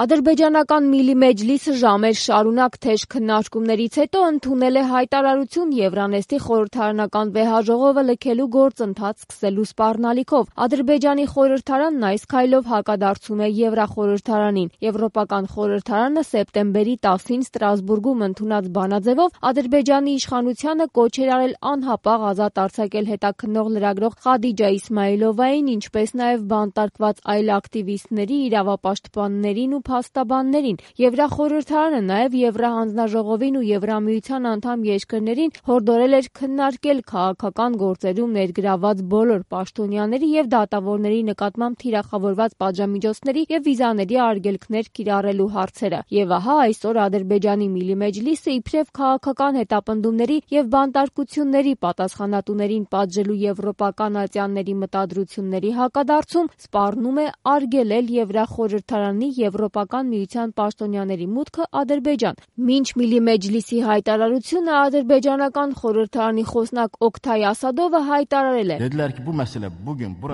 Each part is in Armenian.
Ադրբեջանական Միլի Մեջլիսը ժամեր շարունակ թեժ քննարկումներից հետո ընդունել է հայտարարություն Եվրանեստի խորհրդարանական վեհաժողովը լքելու գործընթաց սկսելու սպառնալիքով։ Ադրբեջանի խորհրդարանն այս քայլով հակադարձում է Եվրախորհրդարանին։ Եվրոպական խորհրդարանը սեպտեմբերի 10-ին Ստրասբուրգում ընդունած բանաձևով Ադրբեջանի իշխանությանը կոչ էր արել անհապաղ ազատ արձակել հետաքննող լրագրող Խադիջա Իսմայիլովային, ինչպես նաև բանտարկված այլ ակտիվիստների, իրավապաշտպաններին ու փաստաբաններին։ Եվրախորհրդարանը նաև Եվրահանձնաժողովին ու Եվրամիության անդամ երկրներին հորդորել էր քննարկել քաղաքական գործերում ներգրավված բոլոր պաշտոնյաների եւ դատավորների նկատմամբ թիրախավորված պատժամիջոցների եւ վիզաների արգելքներ կիրառելու հարցերը։ Եվ ահա այսօր Ադրբեջանի Միլի Մեջլիսը իբրև քաղաքական հետապնդումների եւ բանտարկությունների պատասխանատուներին պատժելու եվրոպական ատյանների մտադրությունների հակադարձում սպառնում է արգելել Եվրախորհրդարանի Եվրոպական միության պաշտոնյաների մուտքը Ադրբեջան։ Մինչ Միլի Մեջլիսի հայտարարությունը ադրբեջանական խորհրդարանի խոսնակ Օքթայ Ասադովը հայտարարել է.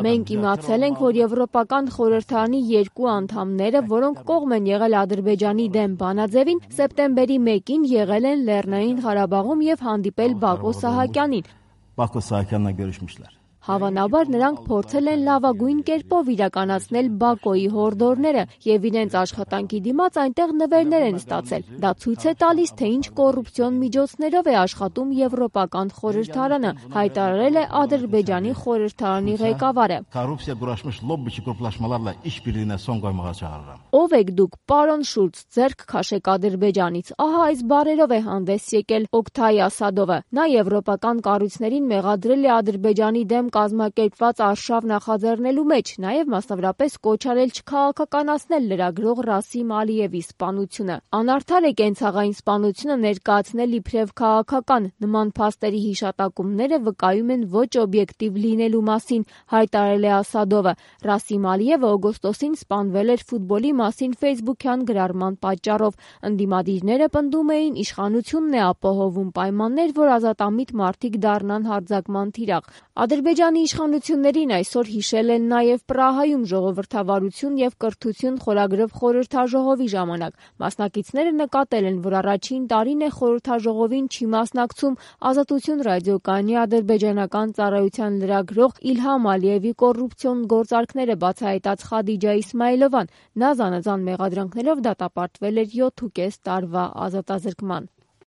Մենք իմացել ենք, որ Եվրոպական խորհրդարանի երկու անդամները, որոնք կողմ են եղել Ադրբեջանի դեմ բանաձևին, սեպտեմբերի 1-ին եղել են Լեռնային Ղարաբաղում եւ հանդիպել Բակո Սահակյանին։ Հավանաբար նրանք փորձել են լավագույն կերպով իրականացնել Բակոյի հորդորները եւ իրենց աշխատանքի դիմաց այնտեղ նվերներ են ստացել։ Դա ցույց է տալիս, թե ինչ կոռուպցիոն միջոցներով է աշխատում Եվրոպական խորհրդարանը, հայտարարել է Ադրբեջանի խորհրդարանի ղեկավարը։ Ով եք դուք, պարոն Շուլց, ձեռք քաշեք Ադրբեջանից։ Ահա այս բառերով է հանդես եկել Օքթայ Ասադովը։ Նա եվրոպական կառույցներին մեղադրել է Ադրբեջանի դեմ կազմակերպված արշավ նախաձեռնելու մեջ, նաև մասնավորապես կոչ արել չքաղաքականացնել լրագրող Ռասիմ Ալիևի սպանությունը։ Անարդար է կենցաղային սպանությունը ներկայացնել իբրև քաղաքական, նման փաստերի հիշատակումները վկայում են ոչ օբյեկտիվ լինելու մասին, հայտարարել է Ասադովը։ Ռասիմ Ալիևը օգոստոսին սպանվել էր ֆուտբոլի մասին ֆեյսբուքյան գրառման պատճառով։ Ընդդիմադիրները պնդում էին, իշխանությունն է ապահովում պայմաններ, որ ազատամիտ մարդիկ դառնան հարձակման թիրախ։ Ադրբեջանի իշխանություններին այսօր հիշել են նաև Պրահայում ժողովրդավարություն եւ կրթություն խորագրով խորհրդաժողովի ժամանակ։ Մասնակիցները նկատել են, որ առաջին տարին է խորհրդաժողովին չի մասնակցում Ազատություն ռադիոկայանի ադրբեջանական ծառայության լրագրող Իլհամ Ալիևի կոռուպցիոն գործարքները բացահայտած Խադիջա Իսմայիլովան։ Նա զանազան մեղադրանքներով դատապարտվել էր 7.5 տարվա ազատազրկման։